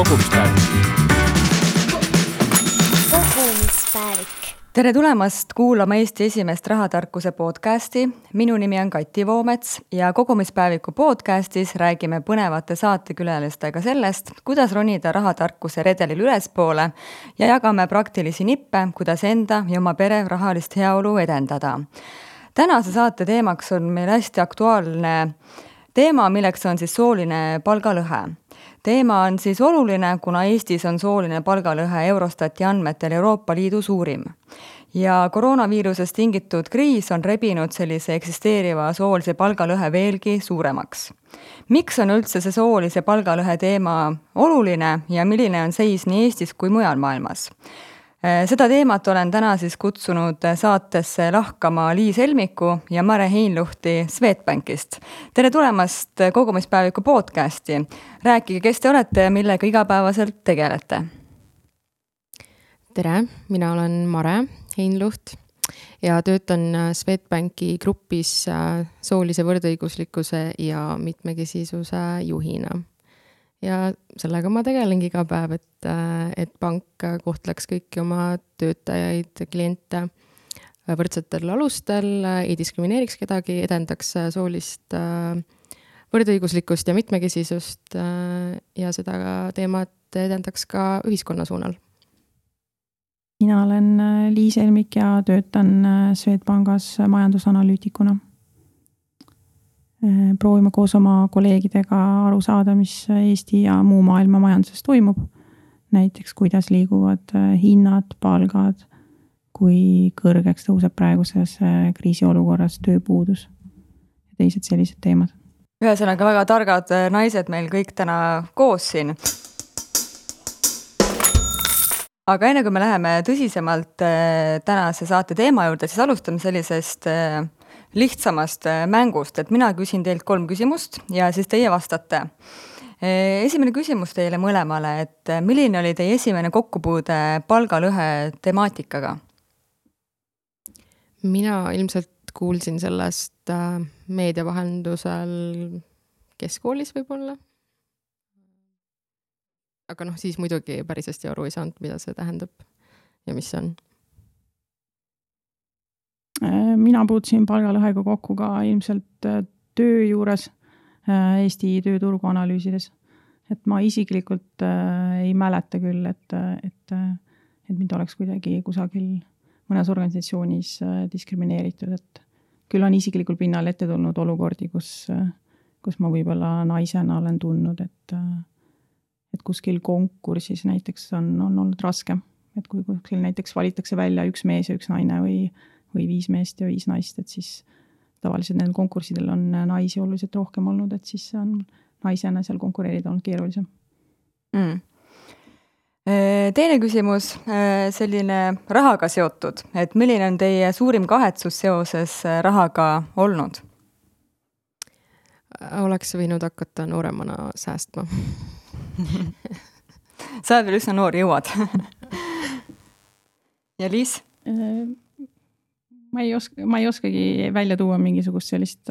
kogumispäevik. Tere tulemast kuulama Eesti esimest rahatarkuse podcasti. Minu nimi on Kati Voomets ja kogumispäeviku podcastis räägime põnevate saatekülalistega sellest, kuidas ronida rahatarkuse redelil ülespoole ja jagame praktilisi nippe, kuidas enda ja oma pere rahalist heaolu edendada. Tänase saate teemaks on meil hästi aktuaalne teema, milleks on siis sooline palgalõhe. Teema on siis oluline, kuna Eestis on sooline palgalõhe Eurostati andmetel Euroopa Liidu suurim. Ja koroonaviirusest tingitud kriis on rebinud sellise eksisteeriva soolise palgalõhe veelgi suuremaks. Miks on üldse see soolise palgalõhe teema oluline ja milline on seis nii Eestis kui mujal maailmas? Seda teemat olen täna siis kutsunud saatesse lahkama Liis Helmiku ja Mare Heinluhti Swedbankist. Tere tulemast kogumispäeviku podcasti. Rääkige, kes te olete ja millega igapäevaselt tegelete? Tere, mina olen Mare Heinluht ja töötan Swedbanki grupis soolise võrdõiguslikkuse ja mitmekesisuse juhina. Ja sellega ma tegelengi iga päev, et pank kohtleks kõiki oma töötajaid, kliente võrdsetel alustel, ei diskrimineeriks kedagi, edendaks soolist võrdõiguslikkust ja mitmekesisust ja seda teemat edendaks ka ühiskonna suunal. Mina olen Liis Helmik ja töötan Swedbankas majandusanalüütikuna. Proovime koos oma kolleegidega aru saada, mis Eesti ja muu maailma majanduses toimub. Näiteks, kuidas liiguvad hinnad, palgad, kui kõrgeks tõuseb praeguses kriisiolukorras tööpuudus ja teised sellised teemad. Ühesõnaga väga targad naised meil kõik täna koos siin. Aga enne kui me läheme tõsisemalt tänase saate teema juurde, siis alustame sellisest lihtsamast mängust, et mina küsin teilt 3 küsimust ja siis teie vastate. Esimene küsimus teile mõlemale, et milline oli teie esimene kokkupuude palgalõhe temaatikaga? Mina ilmselt kuulsin sellest meedia vahendusel keskkoolis võib-olla. Aga siis muidugi päris hästi aru ei saanud, mida see tähendab ja mis see on. Mina puutusin palgalõhega kokku ka ilmselt töö juures Eesti tööturgu analüüsides. Et ma isiklikult ei mäleta küll, et mind oleks kuidagi kusagil mõnes organisatsioonis diskrimineeritud. Et küll on isiklikul pinnal ette tulnud olukordi, kus ma võib-olla naisena olen tundnud, et kuskil konkursis näiteks on olnud raske. Et kui kuskil näiteks valitakse välja 1 mees ja 1 naine või 5 meest ja 5 naist, et siis tavaliselt nendel konkurssidel on naisi oluliselt rohkem olnud, et siis on naisena seal konkureerida olnud keerulisem. Teine küsimus, selline rahaga seotud, et milline on teie suurim kahetsus seoses rahaga olnud? Oleks võinud hakata nooremana säästma. Sa oled veel üsna noor, jõuad. Ja Liis? Ma ei oskagi välja tuua mingisugust sellist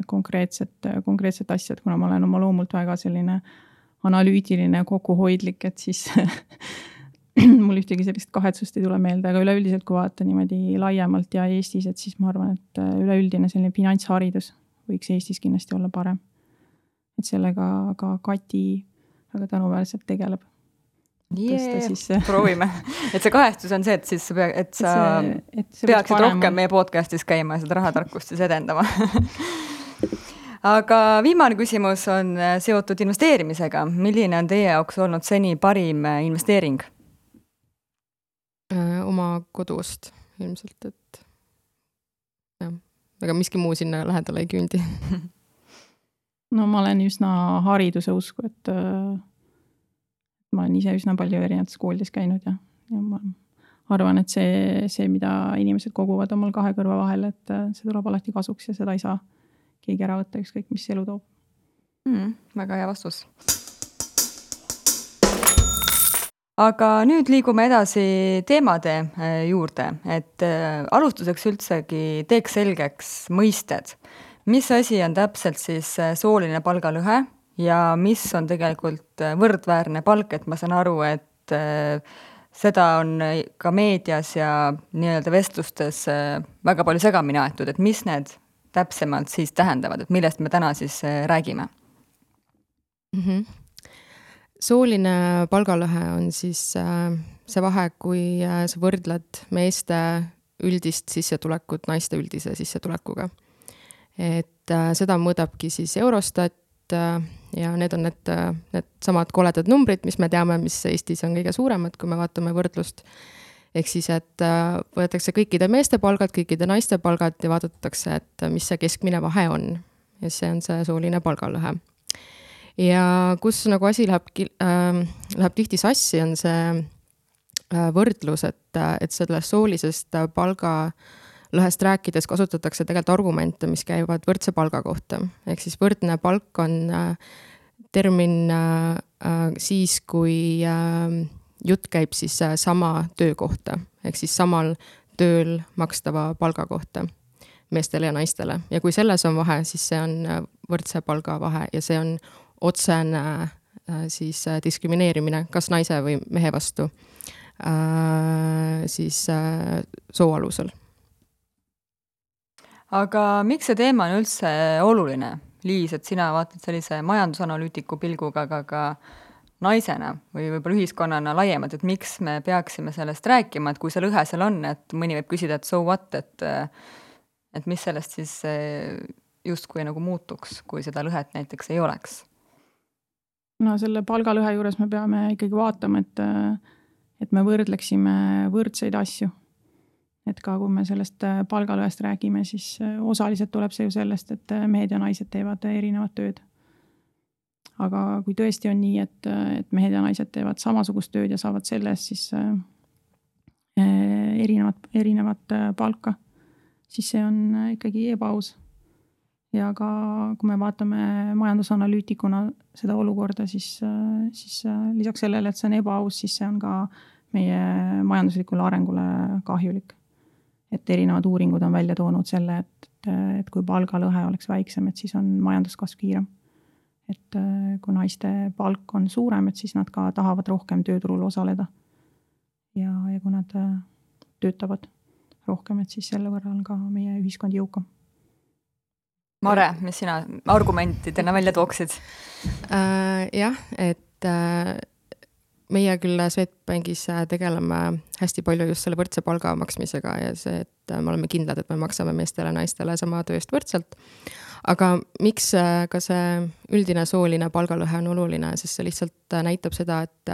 konkreetset asja, kuna ma olen oma loomult väga selline analüütiline kokkuhoidlik, et siis mul ühtegi sellist kahetsust ei tule meelde, aga üleüldiselt kui vaata niimoodi laiemalt ja Eestis, et siis ma arvan, et üleüldine selline finantsharidus võiks Eestis kindlasti olla parem. Et sellega ka Kati väga tänuväärselt tegeleb. Proovime. Et see kahestus on see, et sa peaksid rohkem meie podcastis käima ja seda rahatarkust siis edendama. Aga viimane küsimus on seotud investeerimisega. Milline on teie jaoks olnud seni parim investeering? Oma kodust ilmselt, et aga miski muu sinna lähedale ei küündi. No ma olen üsna hariduse usku, et ma olen ise üsna palju erinevates koolides käinud ja ma arvan, et see, mida inimesed koguvad omal 2 kõrva vahel, et see tuleb alati kasuks ja seda ei saa keegi ära võtta, ükskõik mis elu toob. Väga hea vastus. Aga nüüd liigume edasi teemade juurde, et alustuseks üldsegi teeks selgeks mõisted. Mis asi on täpselt siis sooline palgalõhe ja mis on tegelikult võrdväärne palk, et ma saan aru, et seda on ka meedias ja nii-öelda vestlustes väga palju segamini aetud, et mis need täpsemalt siis tähendavad, et millest me täna siis räägime? Sooline palgalõhe on siis see vahe, kui sa võrdled meeste üldist sissetulekut naiste üldise sissetulekuga. Et seda mõõdabki siis Eurostat ja need on need samad koledad numbrid, mis me teame, mis Eestis on kõige suuremad, kui me vaatame võrdlust. Ehk siis, et võetakse kõikide meeste palgad, kõikide naiste palgad ja vaadatakse, et mis see keskmine vahe on. Ja see on see sooline palgalõhe. Ja kus nagu asi läheb tihti sassi, on see võrdlus, et sellest soolisest palgalõhest rääkides kasutatakse tegelikult argumente, mis käivad võrdse palga kohta. Ehk siis võrdne palk on termin siis, kui jutt käib siis sama töö kohta, ehk siis samal tööl makstava palga kohta meestele ja naistele. Ja kui selles on vahe, siis see on võrdse palga vahe ja see on otsene siis diskrimineerimine kas naise või mehe vastu siis soo alusel. Aga miks see teema on üldse oluline? Liis, et sina vaatad sellise majandusanalüütiku pilguga, aga ka naisena või võib-olla ühiskonnana laiemalt, et miks me peaksime sellest rääkima, et kui see lõhe seal on, et mõni võib küsida, et so what, et mis sellest siis justkui nagu muutuks, kui seda lõhet näiteks ei oleks? No selle palgalõhe juures me peame ikkagi vaatama, et me võrdleksime võrdseid asju. Et ka kui me sellest palgalõhest räägime, siis osaliselt tuleb see ju sellest, et mehed ja naised teevad erinevat tööd. Aga kui tõesti on nii, et mehed ja naised teevad samasugust tööd ja saavad sellest siis erinevat palka, siis see on ikkagi ebaaus. Ja ka kui me vaatame majandusanalüütikuna seda olukorda, siis lisaks sellele, et see on ebaaus, siis see on ka meie majanduslikule arengule kahjulik. Et erinevad uuringud on välja toonud selle, et kui palgalõhe oleks väiksem, et siis on majanduskasv kiirem. Et kui naiste palk on suurem, et siis nad ka tahavad rohkem tööturul osaleda. Ja kui nad töötavad rohkem, et siis selle võrra on ka meie ühiskond jõukam. Mare, mis sina argumentidena välja tooksid? Jah, et meie küll Swedbankis tegeleme hästi palju just selle võrdse palga maksmisega ja see, et me oleme kindlad, et me maksame meestele ja naistele sama tööst võrdselt. Aga miks ka see üldine sooline palgalõhe on oluline, sest see lihtsalt näitab seda, et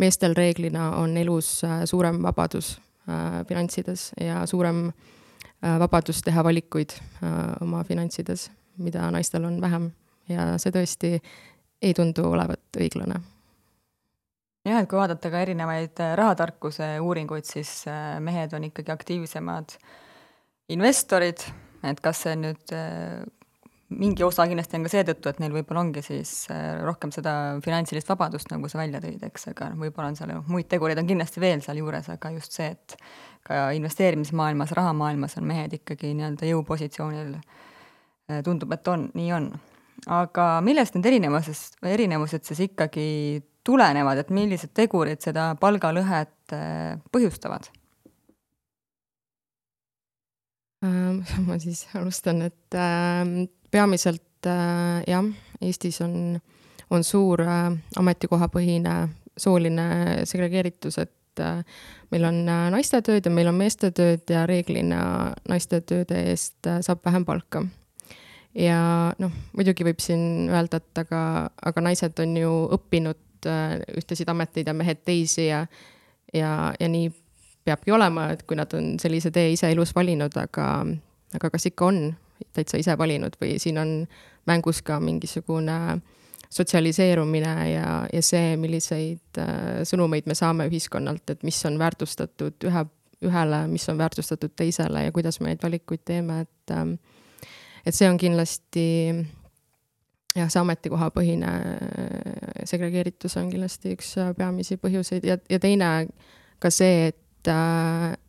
meestel reeglina on elus suurem vabadus finantsides ja suurem vabadus teha valikuid oma finantsides, mida naistel on vähem ja see tõesti ei tundu olevat õiglane. Jah, et kui vaadata ka erinevaid rahatarkuse uuringuid, siis mehed on ikkagi aktiivsemad investorid, et kas see nüüd mingi osa kindlasti on ka seetõttu, et neil võib-olla ongi siis rohkem seda finantsilist vabadust, nagu sa välja tõid, eks, aga võib-olla on seal muid tegureid on kindlasti veel seal juures, aga just see, et ka investeerimismaailmas, rahamaailmas on mehed ikkagi nii-öelda jõupositsioonil, tundub, et nii on. Aga millest need erinevused siis ikkagi tulenevad, et millised tegurid seda palgalõhet põhjustavad? Ma siis alustan, et peamiselt jah, Eestis on suur ametikohapõhine sooline segregeeritus, et meil on naiste tööd ja meil on meeste tööd ja reeglina naiste tööde eest saab vähem palka. Ja muidugi võib siin öelda, et aga naised on ju õppinud ühtesid ameteid ja mehed teisi ja nii peabki olema, et kui nad on sellise tee ise elus valinud, aga kas ikka on täitsa ise valinud või siin on mängus ka mingisugune sotsialiseerumine ja see, milliseid sõnumeid me saame ühiskonnalt, et mis on väärtustatud ühele, mis on väärtustatud teisele ja kuidas me neid valikuid teeme, et see on kindlasti jah, see ametikohapõhine segregeeritus on kindlasti üks peamisi põhjuseid ja teine ka see,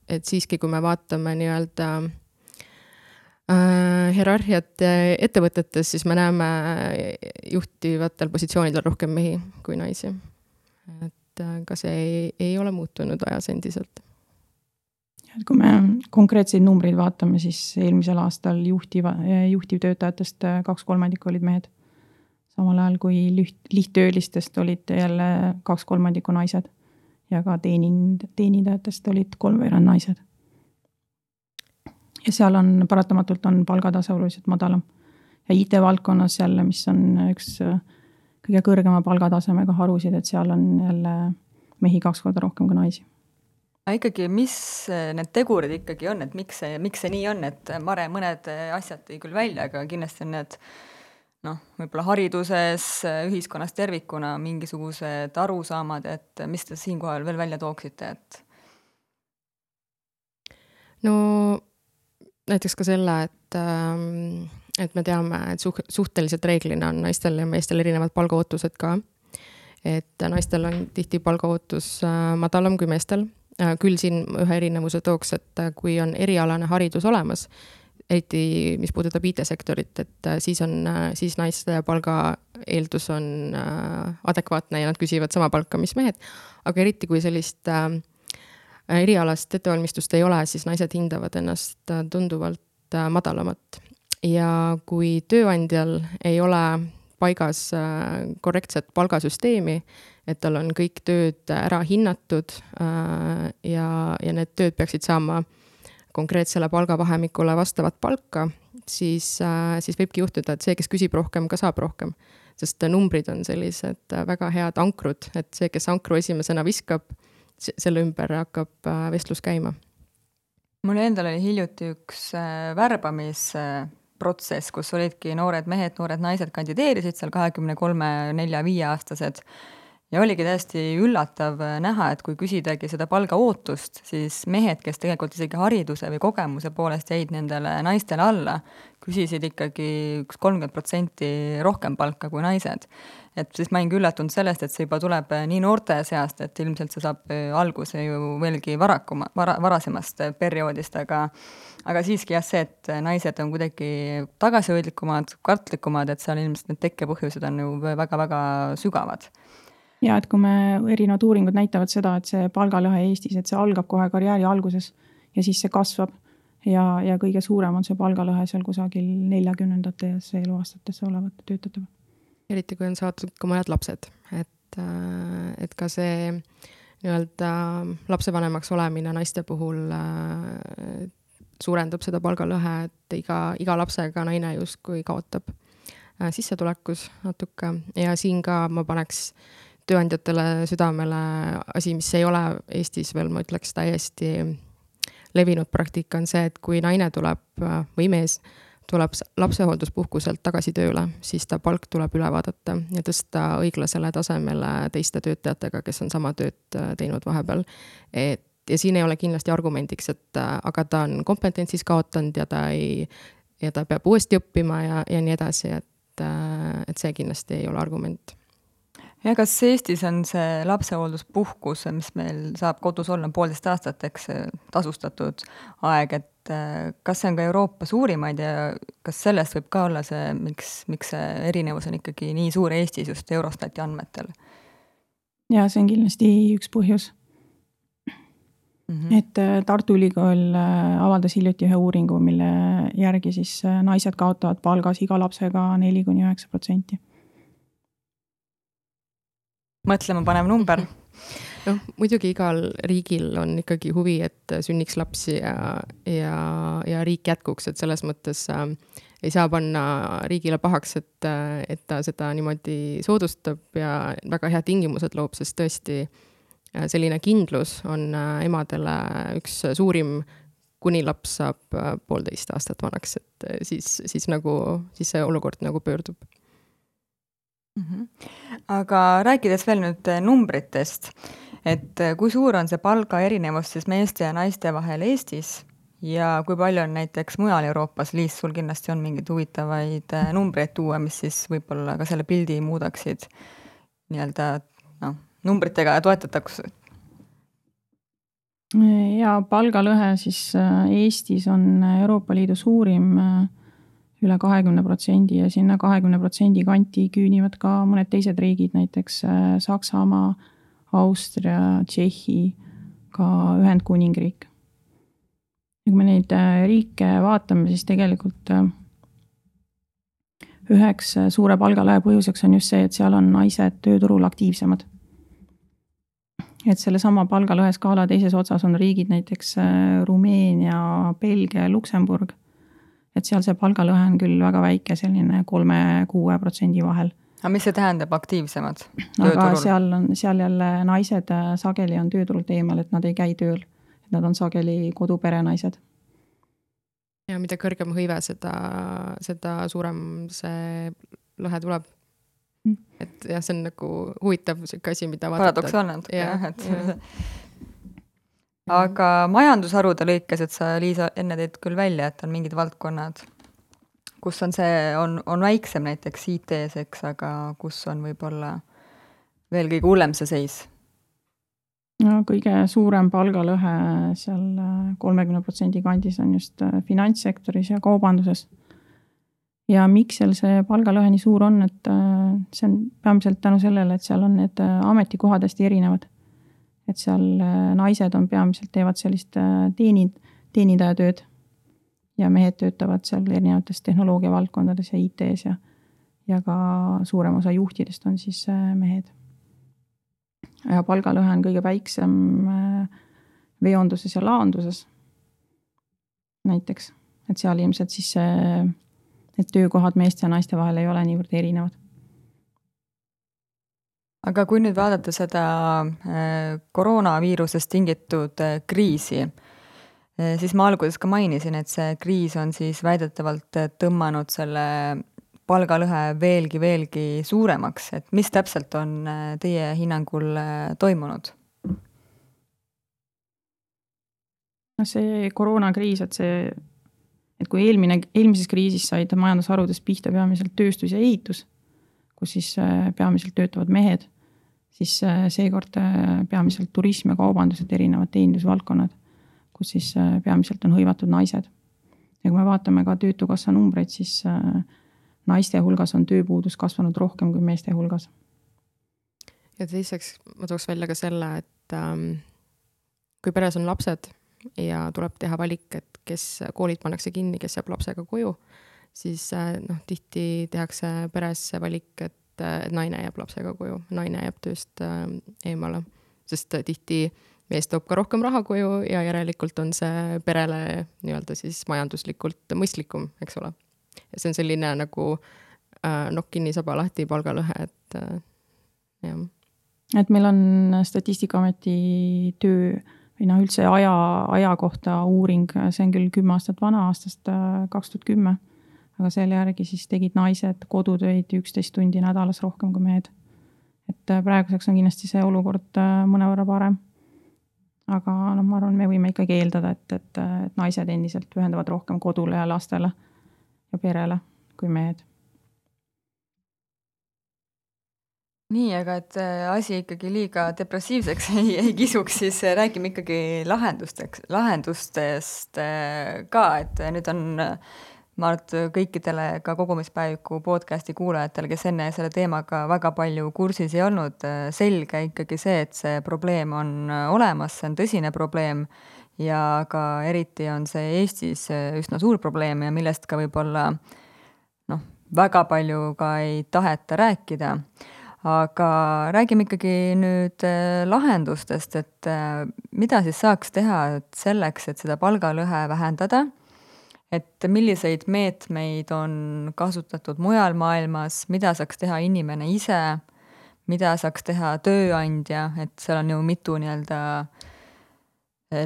et siiski, kui me vaatame nii-öelda Hierarhiat ettevõtetes, siis me näeme juhtivatel positsioonidel rohkem mehi kui naisi. Et ka see ei ole muutunud ajas endiselt. Kui me konkreetseid numbreid vaatame, siis eelmisel aastal juhtivtöötajatest 2/3 olid mehed. Samal ajal kui lihttöölistest olid jälle 2/3 naised ja ka teenindajatest olid 3/4 naised. Ja seal paratamatult on palgatase oluliselt madalam. Ja IT-valdkonnas jälle, mis on üks kõige kõrgema palgatasemega harusid, et seal on jälle mehi 2 korda rohkem kui naisi. Ikkagi, mis need tegurid ikkagi on, et miks see nii on, et Mare mõned asjad tõi küll välja, aga kindlasti on need võib-olla hariduses, ühiskonnas tervikuna mingisugused arusaamad, et mis te siinkohal veel välja tooksite, et? No näiteks ka selle, et me teame, et suhteliselt reeglina on naistel ja meestel erinevad palgaootused ka. Et naistel on tihti palgaootus madalam kui meestel. Küll siin ühe erinevuse tooks, et kui on erialane haridus olemas, eriti mis puudutab IT-sektorit, et siis naiste palga eeldus on adekvaatne ja nad küsivad sama palka, mis mehed. Aga eriti kui sellist erialast ettevalmistust ei ole, siis naised hindavad ennast tunduvalt madalamat. Ja kui tööandjal ei ole paigas korrektset palgasüsteemi, et tal on kõik tööd ära hinnatud ja need tööd peaksid saama konkreetsele palgavahemikule vastavat palka, siis võibki juhtuda, et see, kes küsib rohkem, ka saab rohkem. Sest numbrid on sellised väga head ankrud, et see, kes ankru esimesena viskab, selle ümber hakkab vestlus käima. Mul endal oli hiljuti üks värbamisprotsess, kus olidki noored mehed, noored naised kandideerisid seal 23, 4, 5-aastased. Ja oligi täiesti üllatav näha, et kui küsidagi seda palgaootust, siis mehed, kes tegelikult isegi hariduse või kogemuse poolest jäid nendele naistele alla, küsisid ikkagi 30% rohkem palka kui naised. Et siis ma olingi üllatunud sellest, et see juba tuleb nii noorte seast, et ilmselt see saab alguse ju veelgi varasemast perioodist, aga siiski jah see, et naised on kuidagi tagasihoidlikumad, kartlikumad, et seal ilmselt need tekkepõhjused on ju väga-väga sügavad. Ja, et kui me erinevad uuringud näitavad seda, et see palgalõhe Eestis, et see algab kohe karjääri alguses ja siis see kasvab ja kõige suurem on see palgalõhe seal kusagil 40-ndates eluaastatesse olevate töötajate. Eriti kui on saadud ka mõned lapsed, et ka see nii-öelda lapsevanemaks olemine naiste puhul suurendab seda palgalõhe, et iga lapsega naine justkui kaotab sissetulekus natuke ja siin ka ma paneks tööandjatele südamele asi, mis ei ole Eestis veel, ma ütleks täiesti levinud praktika on see, et kui naine tuleb või mees tuleb lapsehoolduspuhkuselt tagasi tööle, siis ta palk tuleb üle vaadata ja tõsta õiglasele tasemele teiste töötajatega, kes on sama tööd teinud vahepeal. Ja siin ei ole kindlasti argumendiks, et aga ta on kompetentsis kaotanud ja ta peab uuesti õppima ja nii edasi, et see kindlasti ei ole argument. Ja kas Eestis on see lapsehoolduspuhkus, mis meil saab kodus olla 1,5 aastat, eks tasustatud aeg, et kas see on ka Euroopa suurimaid ja kas sellest võib ka olla see, miks see erinevus on ikkagi nii suur Eestis just Eurostati andmetel? Ja see on kindlasti üks põhjus. Et Tartu Ülikool avaldas hiljuti ühe uuringu, mille järgi siis naised kaotavad palgas iga lapsega 4-9%. Mõtlema panev number. Muidugi igal riigil on ikkagi huvi, et sünniks lapsi ja riik jätkuks, et selles mõttes ei saa panna riigile pahaks, et ta seda niimoodi soodustab ja väga head tingimused loob, sest tõesti selline kindlus on emadele üks suurim, kuni laps saab 1,5 aastat vanaks, et siis see olukord nagu pöördub. Aga rääkides veel nüüd numbritest, et kui suur on see palga erinevus siis meeste ja naiste vahel Eestis ja kui palju on näiteks mujal Euroopas, Liis, sul kindlasti on mingeid huvitavaid numbreid tuua, mis siis võib-olla ka selle pildi muudaksid nii-öelda numbritega toetataks? Ja palgalõhe siis Eestis on Euroopa Liidu suurim üle 20% ja sinna 20% kanti küünivad ka mõned teised riigid, näiteks Saksamaa, Austria, Tšehhi, ka Ühendkuningriik. Ja kui me neid riike vaatame, siis tegelikult üheks suure palgalõhe põhjuseks on just see, et seal on naised tööturul aktiivsemad. Et selle sama palgalõhe skaala teises otsas on riigid näiteks Rumeenia, Belgia ja Luksemburg. Et seal see palgalõhe on küll väga väike, selline 3-6% vahel. Aga mis see tähendab aktiivsemad Aga tööturul? seal jälle naised sageli on tööturult eemal, et nad ei käi tööl. Et nad on sageli koduperenaised. Ja mida kõrgem hõive, seda suurem see lõhe tuleb. Et jah, see on nagu huvitav asi, mida vaadata. Paradoksaalne natuke, jah. Aga majandusharude lõikes, et sa, Liisa, enne teed küll välja, et on mingid valdkonnad, kus on see, on väiksem näiteks IT-s, eks, aga kus on võib-olla veel kõige hullem see seis? No, kõige suurem palgalõhe seal 30% kandis on just finantssektoris ja kaubanduses. Ja miks seal see palgalõhe nii suur on, et see on peamiselt tänu sellele, et seal on need ametikohad hästi erinevad. Et seal naised on peamiselt teevad sellist teenindajatööd ja mehed töötavad seal erinevates tehnoloogia valdkondades ja IT-s ja ka suurem osa juhtidest on siis mehed. Ja palgalõhe on kõige väiksem veonduses ja laanduses näiteks. Et seal ilmselt siis need töökohad meeste ja naiste vahel ei ole niivõrd erinevad. Aga kui nüüd vaadata seda koroonaviirusest tingitud kriisi, siis ma alguses ka mainisin, et see kriis on siis väidetavalt tõmmanud selle palgalõhe veelgi suuremaks. Et mis täpselt on teie hinnangul toimunud? See koroonakriis, et kui eelmises kriisis said majandusharudest pihta peamiselt tööstus ja ehitus, kus siis peamiselt töötavad mehed, siis seekord peamiselt turism ja kaubandused erinevad teenindusvaldkonnad, kus siis peamiselt on hõivatud naised. Ja kui me vaatame ka töötukassa numbreid, siis naiste hulgas on tööpuudus kasvanud rohkem kui meeste hulgas. Ja teiseks ma tooks välja ka selle, et kui peres on lapsed ja tuleb teha valik, et kes koolid pannakse kinni, kes jääb lapsega koju, siis tihti tehakse peres valik, et naine jääb lapsega koju, naine jääb tööst eemale, sest tihti mees toob ka rohkem raha koju ja järelikult on see perele nii-öelda siis majanduslikult mõistlikum, eks ole. Ja see on selline nagu nokk kinni saba lahti palgalõhe, et jah. Et meil on Statistikaameti töö või üldse aja kohta uuring, see on küll 10 aastat vana, aastast 2010, aga selle järgi siis tegid naised kodutöid 11 tundi nädalas rohkem kui mehed. Et praeguseks on kindlasti see olukord mõnevõrra parem. Aga ma arvan, me võime ikkagi eeldada, et naised endiselt pühendavad rohkem kodule ja lastele ja perele kui mehed. Nii, aga et asi ikkagi liiga depressiivseks ei kisuks, siis räägime ikkagi lahendustest ka, et nüüd on ma arvan, kõikidele ka kogumispäeviku podcasti kuulajatele, kes enne selle teemaga väga palju kursis ei olnud, selge ikkagi see, et see probleem on olemas, see on tõsine probleem ja ka eriti on see Eestis üsna suur probleem ja millest ka võib-olla väga palju ka ei taheta rääkida. Aga räägime ikkagi nüüd lahendustest, et mida siis saaks teha selleks, et seda palgalõhe vähendada, et milliseid meetmeid on kasutatud mujal maailmas, mida saaks teha inimene ise, mida saaks teha tööandja, et seal on ju mitu nii-öelda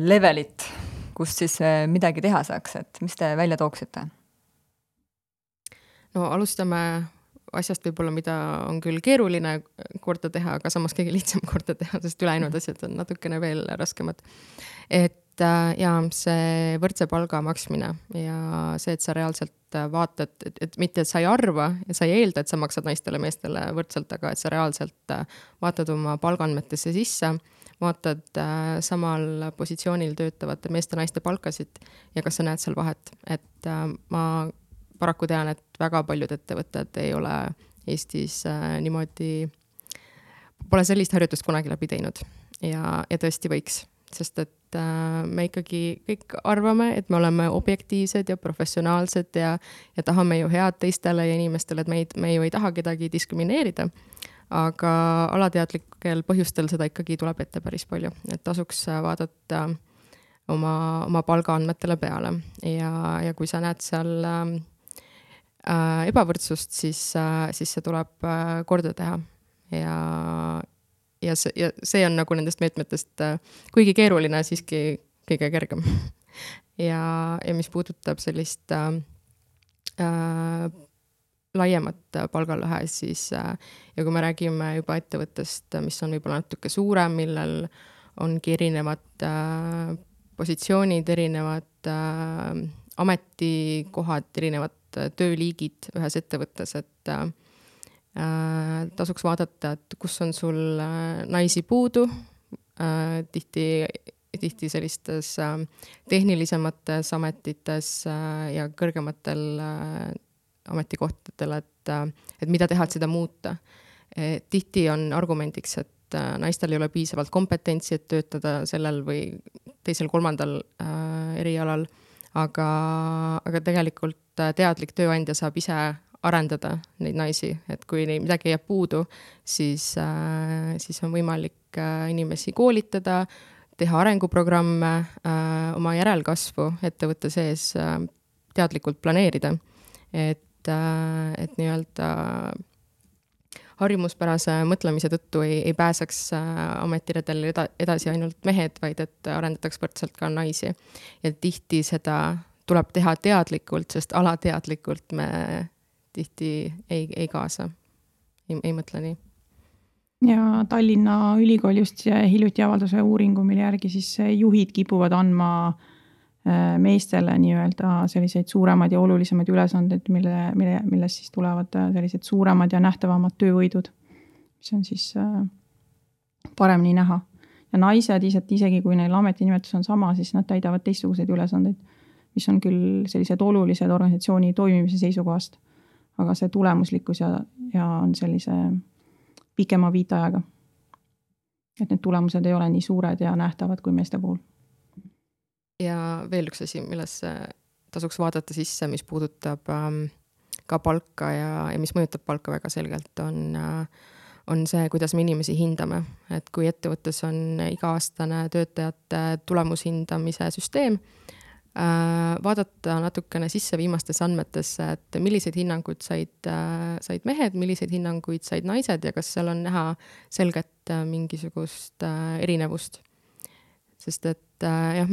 levelit, kus siis midagi teha saaks, et mis te välja tooksite? No alustame asjast võib-olla, mida on küll keeruline korda teha, aga samas kõige lihtsam korda teha, sest ülejäänud asjad on natukene veel raskemad. Et see võrdse palga maksmine ja see, et sa reaalselt vaatad, et mitte, et sa ei arva ja sa ei eelda, et sa maksad naistele meestele võrdselt, aga et sa reaalselt vaatad oma palgaandmetesse sisse, vaatad samal positsioonil töötavate meeste-naiste palkasid ja kas sa näed seal vahet, et ma paraku tean, et väga paljud ettevõtted ei ole Eestis niimoodi, pole sellist harjutust kunagi läbi teinud ja tõesti võiks, sest et me ikkagi kõik arvame, et me oleme objektiivsed ja professionaalsed ja tahame ju head teistele ja inimestele, et me ju ei taha kedagi diskrimineerida, aga alateadlikel põhjustel seda ikkagi tuleb ette päris palju, et tasuks vaadata oma palgaandmetele peale ja kui sa näed seal ebavõrdsust, siis see tuleb korda teha ja see on nagu nendest meetmetest kuigi keeruline, siiski kõige kergem. Ja mis puudutab sellist laiemat palgalõhe, siis ja kui me räägime juba ettevõttest, mis on võib-olla natuke suurem, millel ongi erinevad positsioonid, erinevad ametikohad, erinevad tööliigid ühes ettevõttes, et tasuks vaadata, et kus on sul naisi puudu, tihti sellistes tehnilisemates ametites ja kõrgematel ametikohtadel, et mida teha, et seda muuta. Tihti on argumendiks, et naistel ei ole piisavalt kompetentsi, et töötada sellel või teisel kolmandal erialal, aga tegelikult teadlik tööandja saab ise arendada neid naisi, et kui midagi jääb puudu, siis on võimalik inimesi koolitada, teha arenguprogramme, oma järelkasvu ettevõtte sees teadlikult planeerida, et nii-öelda harjumuspärase mõtlemise tõttu ei pääseks ametiredel edasi ainult mehed, vaid et arendataks võrdselt ka naisi. Ja tihti seda tuleb teha teadlikult, sest alateadlikult me tihti ei kaasa, ei mõtle nii. Ja Tallinna Ülikool just hiljuti avalduse uuringu, mille järgi siis juhid kipuvad andma meestele nii-öelda selliseid suuremad ja olulisemaid ülesandeid, millest siis tulevad sellised suuremad ja nähtavamad töövõidud, mis on siis paremini näha. Ja naised isegi kui neil ametinimetus on sama, siis nad täidavad teistsuguseid ülesandeid, mis on küll sellised olulised organisatsiooni toimimise seisukohast, aga see tulemuslikkus ja on sellise pikema viitajaga. Et need tulemused ei ole nii suured ja nähtavad kui meeste puhul. Ja veel üks asi, milles tasuks vaadata sisse, mis puudutab ka palka ja mis mõjutab palka väga selgelt, on see, kuidas me inimesi hindame. Et kui ettevõttes on iga-aastane töötajate tulemushindamise süsteem, vaadata natukene sisse viimastes andmetesse, et milliseid hinnanguid said mehed, milliseid hinnanguid said naised ja kas seal on näha selget mingisugust erinevust. Sest et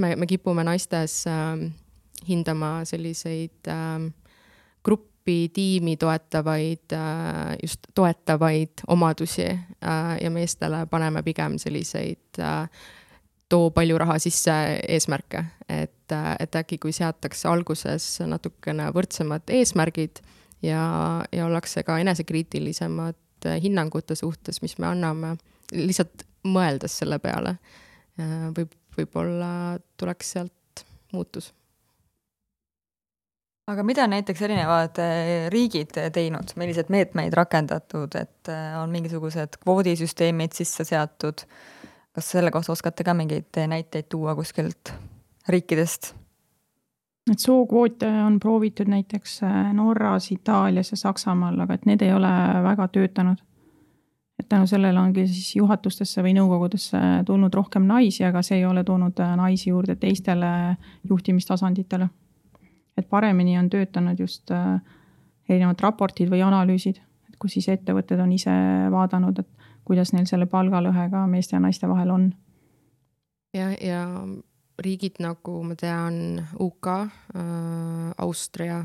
me kipume naistes hindama selliseid gruppi, tiimi just toetavaid omadusi ja meestele paneme pigem selliseid too palju raha sisse eesmärke, et äkki kui seatakse alguses natukene võrdsemad eesmärgid ja ollakse ka enesekriitilisemad hinnangute suhtes, mis me anname, lihtsalt mõeldes selle peale, võib-olla tuleks sealt muutus. Aga mida näiteks erinevad riigid teinud, millised meetmeid rakendatud, et on mingisugused kvoodisüsteemid sisse seatud? Kas selle kohta oskate ka mingeid näiteid tuua kuskilt riikidest? Et sookvoote on proovitud näiteks Norras, Itaalias ja Saksamaal, aga et need ei ole väga töötanud. Et tänu sellele ongi siis juhatustesse või nõukogudesse tulnud rohkem naisi, aga see ei ole toonud naisi juurde teistele juhtimistasanditele. Et paremini on töötanud just erinevad raportid või analüüsid, et kus siis ettevõtted on ise vaadanud, et kuidas neil selle palgalõhega meeste ja naiste vahel on. Ja riigid nagu ma tean UK, Austria,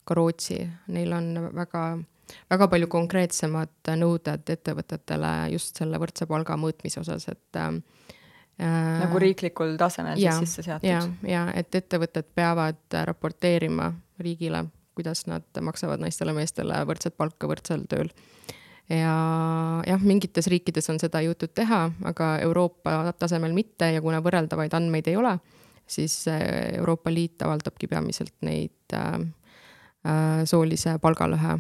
ka Rootsi, neil on väga palju konkreetsemad nõuded ettevõtetele just selle võrdse palga mõõtmise osas, et nagu riiklikul tasemel siis sisse seatud. Ja et ettevõtted peavad raporteerima riigile, kuidas nad maksavad naistele meestele võrdset palka võrdsel tööl. ja jah, mingites riikides on seda jõutud teha, aga Euroopa tasemel mitte ja kuna võrreldavaid andmeid ei ole, siis Euroopa Liit avaldabki peamiselt neid soolise palgalõhe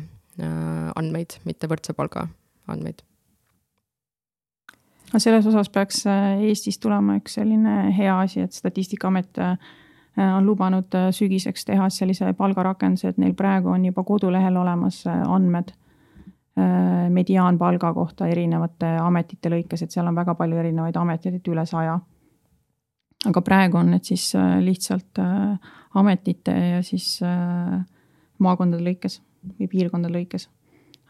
andmeid, mitte võrdse palga andmeid. Selles osas peaks Eestis tulema üks selline hea asi, et Statistikaamet on lubanud sügiseks teha sellise palgarakenduse, et neil praegu on juba kodulehel olemas andmed mediaanpalga kohta erinevate ametite lõikes, et seal on väga palju erinevaid ameteid, et üle 100. Aga praegu on need siis lihtsalt ametite ja siis maakondade lõikes või piirkondade lõikes,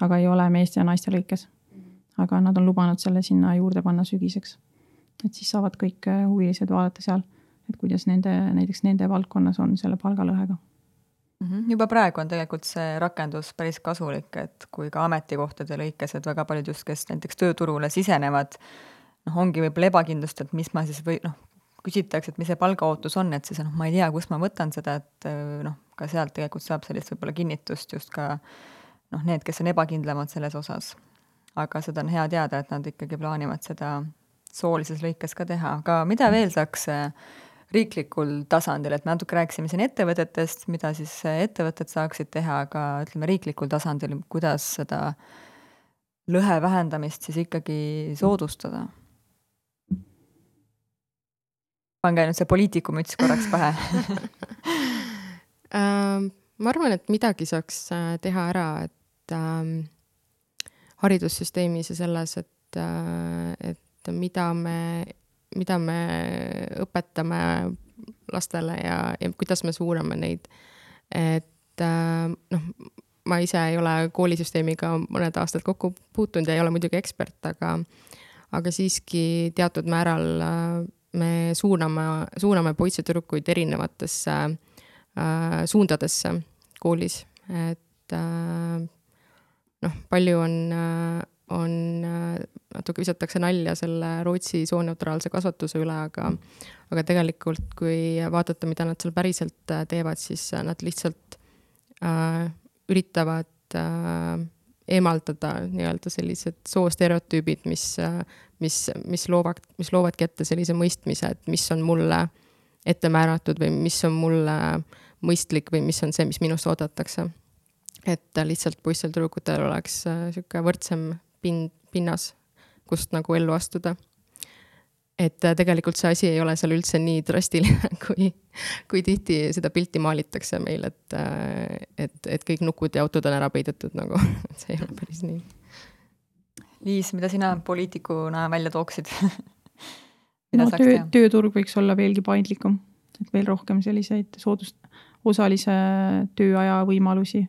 aga ei ole meeste ja naiste lõikes. Aga nad on lubanud selle sinna juurde panna sügiseks. Et siis saavad kõik huvilised vaadata seal, et kuidas näiteks nende valdkonnas on selle palgalõhega. Juba praegu on tegelikult see rakendus päris kasulik, et kui ka ametikohtade lõikes, et väga paljud just, kes näiteks tööturule sisenevad, ongi võib-olla ebakindlust, et mis ma siis küsitakse, et mis see palgaootus on, et siis ma ei tea, kus ma võtan seda, et ka sealt tegelikult saab sellist võib-olla kinnitust just ka need, kes on ebakindlamad selles osas. Aga seda on hea teada, et nad ikkagi plaanivad seda soolises lõikes ka teha. Aga mida veel saaks riiklikul tasandil, et me natuke rääkisime siin ettevõtetest, mida siis ettevõtted saaksid teha, aga ütleme riiklikul tasandil, kuidas seda lõhe vähendamist siis ikkagi soodustada? Pange nüüd see poliitikumüts korraks pähe. Ma arvan, et midagi saaks teha ära, et haridussüsteemis ja selles, et mida me õpetame lastele ja kuidas me suuname neid. Et ma ise ei ole koolisüsteemiga mõned aastad kokku puutunud ja ei ole muidugi ekspert, aga siiski teatud määral me suuname poisse tüdrukuid erinevatesse suundadesse koolis. Et palju on natuke visatakse nalja selle Rootsi sooneutraalse kasvatuse üle, aga tegelikult kui vaadata, mida nad seal päriselt teevad, siis nad lihtsalt üritavad eemaldada nii-öelda sellised soostereotüübid, mis loovadki ette sellise mõistmise, et mis on mulle ette määratud või mis on mulle mõistlik või mis on see, mis minust oodatakse. Et lihtsalt poistel tüdrukutel oleks siuke võrdsem pinnas, kust nagu ellu astuda. Et tegelikult see asi ei ole seal üldse nii drastiline, kui tihti seda pilti maalitakse meil, et kõik nukud ja autod on ära peidetud, nagu see ei ole päris nii. Liis, mida sina poliitikuna välja tooksid? Tööturg võiks olla veelgi paindlikum, et veel rohkem selliseid osalise tööaja võimalusi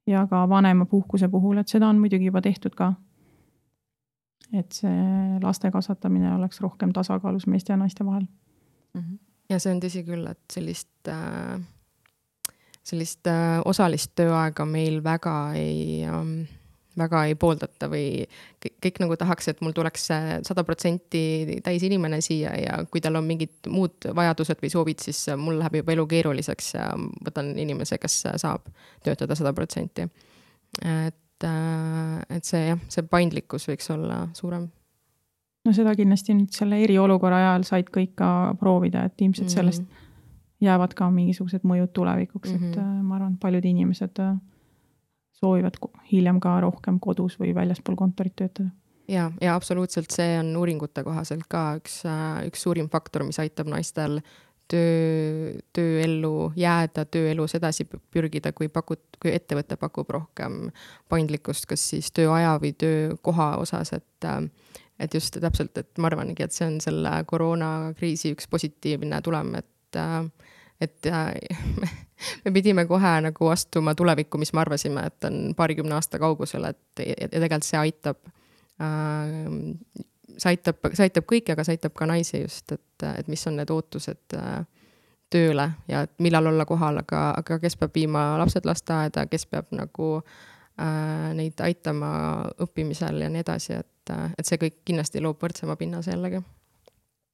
ja ka vanema puhkuse puhul, et seda on muidugi juba tehtud ka. Et see laste kasvatamine oleks rohkem tasakaalus meeste ja naiste vahel. Ja see on tõsi küll, et sellist osalist tööaega meil väga ei pooldata või kõik nagu tahaks, et mul tuleks 100% täis inimene siia ja kui tal on mingid muud vajadused või soovid, siis mul läheb juba elu keeruliseks ja võtan inimese, kes saab töötada 100%. Et see paindlikkus võiks olla suurem. No seda kindlasti nüüd selle eriolukorra ajal said kõik ka proovida, et ilmselt sellest jäävad ka mingisugused mõjud tulevikuks, et ma arvan, paljud inimesed soovivad hiljem ka rohkem kodus või väljaspool kontorit töötada. Ja absoluutselt, see on uuringute kohaselt ka üks suurim faktor, mis aitab naistel tööellu jääda, tööelus edasi pürgida, kui ettevõte pakub rohkem paindlikkust, kas siis tööaja või töökoha osas, et just täpselt, et ma arvangi, et see on selle koroonakriisi üks positiivne tulem, et me pidime kohe nagu astuma tulevikku, mis me arvasime, et on 20 aasta kaugusel, et tegelikult see aitab kõiki, aga see aitab ka naisi just, et mis on need ootused tööle ja millal olla kohal, aga kes peab viima lapsed lasteaeda, kes peab nagu neid aitama õppimisel ja nii edasi, et see kõik kindlasti loob võrdsema pinnase jällegi.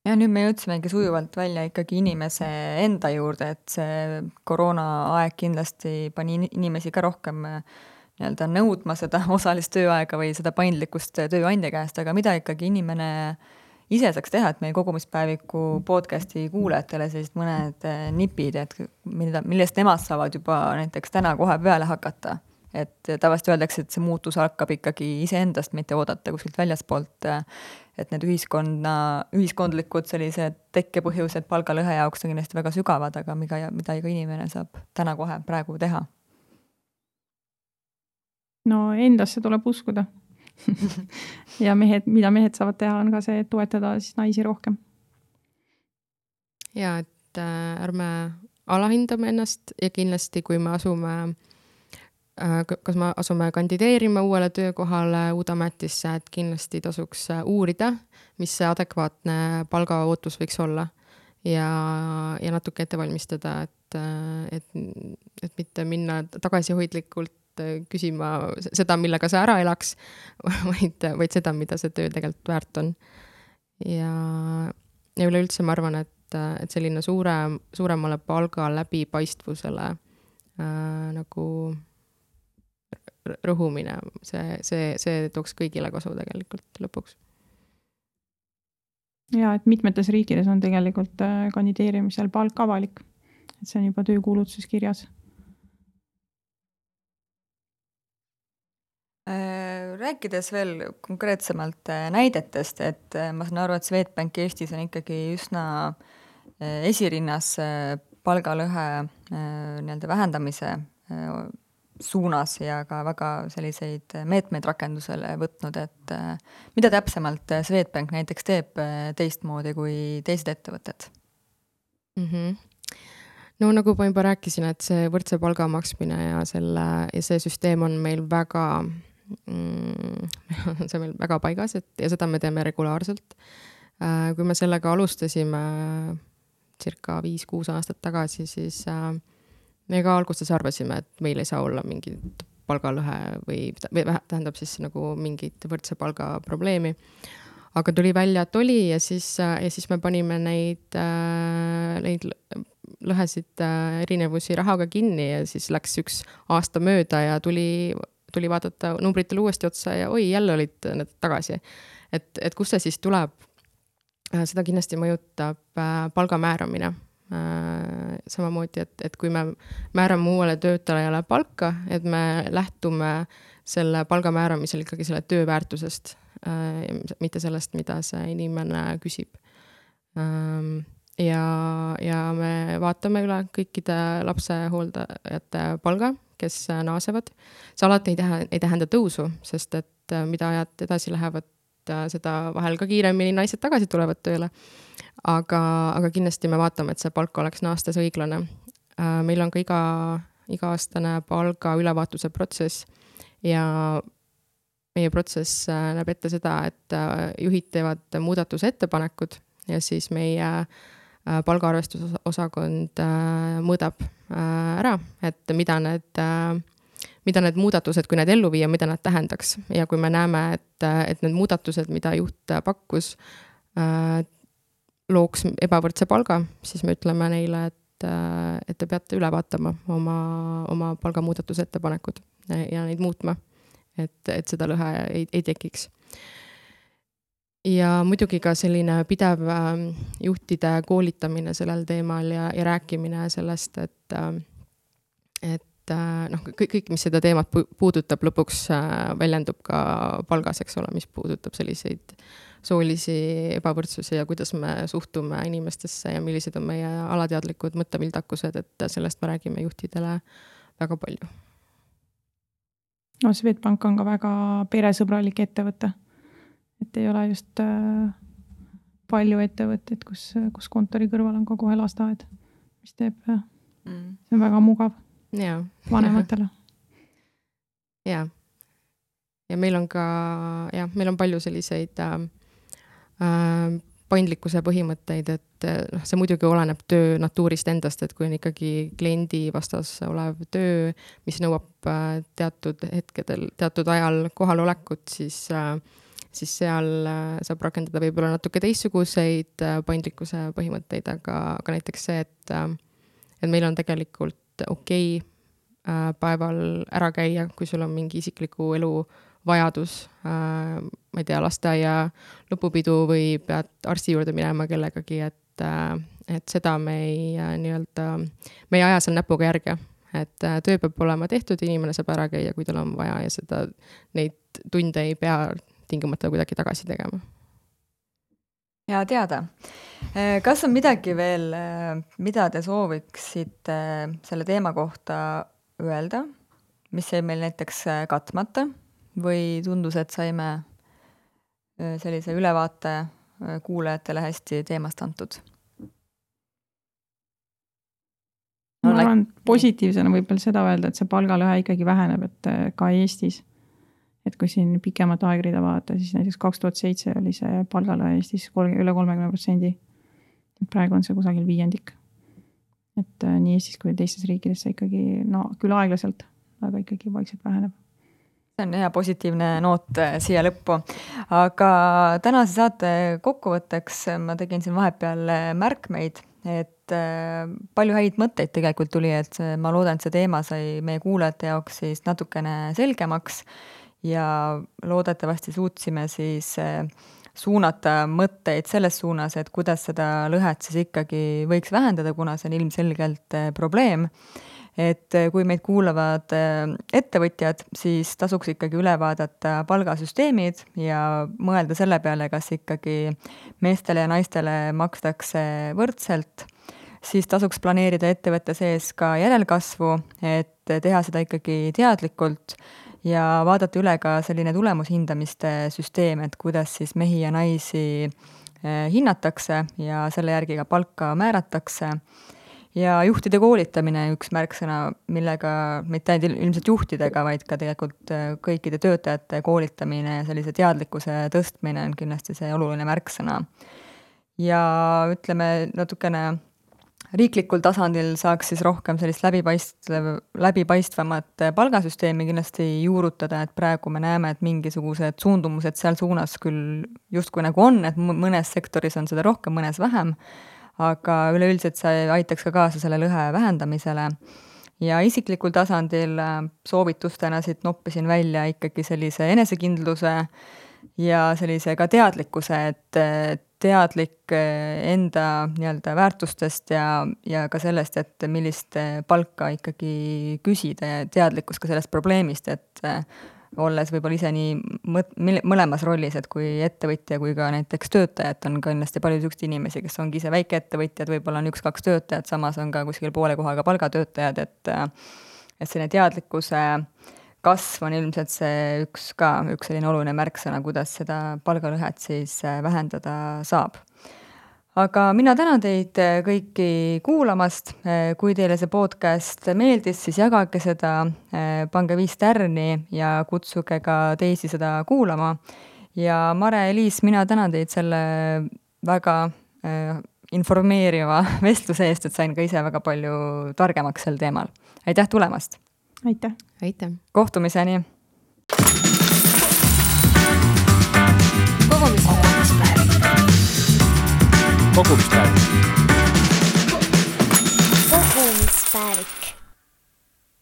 Ja nüüd me jõudsimegi sujuvalt välja ikkagi inimese enda juurde, et see koroona aeg kindlasti pani inimesi ka rohkem nii-öelda nõudma seda osalist tööaega või seda paindlikkust tööandja käest, aga mida ikkagi inimene ise saaks teha, et meie kogumispäeviku podcasti kuulajatele sellised mõned nipid, et millest nemad saavad juba näiteks täna kohe peale hakata. Et tavaliselt öeldakse, et see muutus hakkab ikkagi iseendast, mitte oodata kuskilt väljaspoolt, et need ühiskondlikud sellised tekkepõhjused palgalõhe jaoks on kindlasti väga sügavad, aga mida iga inimene saab täna kohe praegu teha. No endasse tuleb uskuda. Ja mida mehed saavad teha, on ka see, et toetada siis naisi rohkem. Ja, et ärme alahindame ennast ja kindlasti, kui me kas me asume kandideerima uuele töökohale, uude ametisse, et kindlasti tasuks uurida, mis see adekvaatne palgaootus võiks olla ja natuke ette valmistada, et mitte minna tagasihoidlikult küsima seda, millega sa ära elaks, vaid seda, mida see töö tegelikult väärt on. Ja üleüldse ma arvan, et selline suuremale palga läbipaistvusele nagu rõhumine, see tooks kõigile kasu tegelikult lõpuks. Ja, et mitmetes riikides on tegelikult kandideerimisel palk avalik. Et see on juba töökuulutuses kirjas. Rääkides veel konkreetsemalt näidetest, et ma saan aru, et Swedbank Eestis on ikkagi üsna esirinnas palgalõhe nii-öelda vähendamise suunas ja ka väga selliseid meetmeid rakendusele võtnud, et mida täpsemalt Swedbank näiteks teeb teistmoodi kui teised ettevõtted? No nagu ma juba rääkisin, et see võrdse palga maksmine ja see süsteem on meil väga see meil väga paigas, ja seda me teeme regulaarselt. Kui me sellega alustasime circa 5-6 aastat tagasi, siis me ka alguses arvasime, et meil ei saa olla mingit palgalõhe või tähendab siis nagu mingit võrdse palga probleemi. Aga tuli välja, et oli ja siis me panime neid lõhesid erinevusi rahaga kinni ja siis läks 1 aasta mööda ja tuli vaadata numbritele uuesti otsa ja oi, jälle olid need tagasi. Et kus see siis tuleb? Seda kindlasti mõjutab palga määramine. Samamoodi, et kui me määrame uuele töötajale palka, et me lähtume selle palga määramisel ikkagi selle töö väärtusest, mitte sellest, mida see inimene küsib. Ja me vaatame üle kõikide lapsehooldajate palga, kes naasevad. See alati ei tähenda tõusu, sest et mida ajad edasi lähevad, seda vahel ka kiiremini naised tagasi tulevad tööle. Aga kindlasti me vaatame, et see palk oleks naastes õiglane. Meil on ka iga-aastane palga ülevaatuse protsess ja meie protsess näeb ette seda, et juhid teevad muudatuse ettepanekud ja siis meie palgaarvestusosakond mõõdab ära, et mida need muudatused, kui need ellu viia, mida nad tähendaks. Ja kui me näeme, et need muudatused, mida juht pakkus, looks ebavõrdse palga, siis me ütleme neile, et te peate üle vaatama oma palgamuudatuse ettepanekud ja neid muutma, et seda lõhe ei tekiks. Ja muidugi ka selline pidev juhtide koolitamine sellel teemal ja rääkimine sellest, et kõik, mis seda teemat puudutab, lõpuks väljendub ka palgas, eks ole, mis puudutab selliseid soolisi ebavõrdsusi ja kuidas me suhtume inimestesse ja millised on meie alateadlikud mõttevildakused, et sellest me räägime juhtidele väga palju. No, Swedbank on ka väga peresõbralik ettevõte. Et ei ole just palju ettevõtteid, kus kontori kõrval on ka kohe lasteaed, mis teeb, see on väga mugav vanematele. Ja meil on ka, meil on palju selliseid paindlikkuse põhimõtteid, et see muidugi oleneb töö natuurist endast, et kui on ikkagi kliendi vastas olev töö, mis nõuab teatud hetkedel, teatud ajal kohalolekut, siis seal saab rakendada võib-olla natuke teistsuguseid paindlikkuse põhimõtteid, aga näiteks see, et meil on tegelikult okei päeval ära käia, kui sul on mingi isikliku elu vajadus, ma ei tea, lasteaia lõpupidu või pead arsti juurde minema kellegagi, et seda me ei aja seal näpuga järge. Et töö peab olema tehtud, inimene saab ära käia, kui tal on vaja ja neid tunde ei pea tingimata kuidagi tagasi tegema. Hea teada. Kas on midagi veel, mida te sooviksite selle teema kohta öelda, mis jäi meil näiteks katmata või tundus, et saime sellise ülevaate kuulajatele hästi teemast antud? Ma arvan, positiivsena võib veel seda öelda, et see palgalõhe ikkagi väheneb, et ka Eestis. Et kui siin pikemat aegrida vaadata, siis näiteks 2007 oli see palgalõhe Eestis üle 30%. Et praegu on see kusagil 5%. Et nii Eestis kui teistes riikides see ikkagi, küll aeglaselt, aga ikkagi vaikselt väheneb. See on hea positiivne noot siia lõppu. Aga tänase saate kokkuvõtteks ma tegin siin vahepeal märkmeid, et palju häid mõtteid tegelikult tuli, et ma loodan, et see teema sai meie kuulajate jaoks siis natukene selgemaks ja loodetavasti suutsime siis suunata mõtteid selles suunas, et kuidas seda lõhet siis ikkagi võiks vähendada, kuna see on ilmselgelt probleem. Et kui meid kuulavad ettevõtjad, siis tasuks ikkagi üle vaadata palgasüsteemid ja mõelda selle peale, kas ikkagi meestele ja naistele makstakse võrdselt, siis tasuks planeerida ettevõtte sees ka järelkasvu, et teha seda ikkagi teadlikult ja vaadata üle ka selline tulemushindamiste süsteem, et kuidas siis mehi ja naisi hinnatakse ja selle järgi ka palka määratakse. Ja juhtide koolitamine üks märksõna, millega mitte ainult ilmselt juhtidega, vaid ka tegelikult kõikide töötajate koolitamine ja sellise teadlikkuse tõstmine on kindlasti see oluline märksõna. Ja ütleme natukene riiklikul tasandil saaks siis rohkem sellist läbipaistvamat palgasüsteemi kindlasti juurutada, et praegu me näeme, et mingisugused suundumused seal suunas küll justkui nagu on, et mõnes sektoris on seda rohkem, mõnes vähem, aga üleüldiselt see aitaks ka kaasa selle lõhe vähendamisele. Ja isiklikul tasandil soovitustena siit noppisin välja ikkagi sellise enesekindluse ja sellise ka teadlikkuse, et teadlik enda nii-öelda väärtustest ja ka sellest, et millist palka ikkagi küsida ja teadlikkus ka sellest probleemist, et olles võib-olla ise nii mõlemas rollis, et kui ettevõtja kui ka näiteks töötajad on kindlasti palju selliseid inimesi, kes ongi ise väikeettevõtjad, võib-olla on 1-2 töötajad, samas on ka kuskil poole kohaga palgatöötajad, et selline teadlikkuse kasv on ilmselt see üks selline oluline märksõna, kuidas seda palgalõhet siis vähendada saab. Aga mina tänan teid kõiki kuulamast. Kui teile see podcast meeldis, siis jagage seda, pange 5 tärni ja kutsuge ka teisi seda kuulama. Ja Mare-Liis, mina tänan teid selle väga informeeriva vestluse eest, et sain ka ise väga palju targemaks sel teemal. Aitäh tulemast! Aitäh! Aitäh! Kohtumiseni! Kogumispäev.